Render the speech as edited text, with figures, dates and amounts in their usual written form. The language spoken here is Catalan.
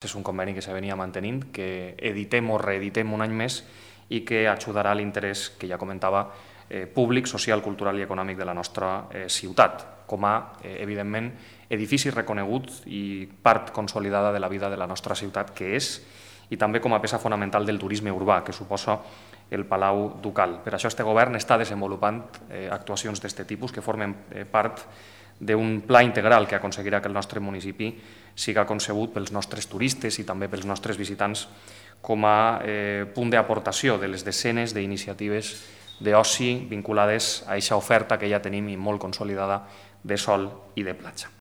És un conveni que se venia mantenint, que editem o reeditem un any més i que ajudarà a l'interès que ja comentava públic, social, cultural i econòmic de la nostra ciutat, com a, evidentment, edifici reconegut i part consolidada de la vida de la nostra ciutat que és, i també com a peça fonamental del turisme urbà que suposa el Palau Ducal. Per això este govern està desenvolupant actuacions d'aquest tipus que formen part d'un pla integral que aconseguirà que el nostre municipi siga concebut pels nostres turistes i també pels nostres visitants com a punt d'aportació de les desenes d'iniciatives d'oci vinculades a aquesta oferta que ja tenim i molt consolidada de sol i de platja.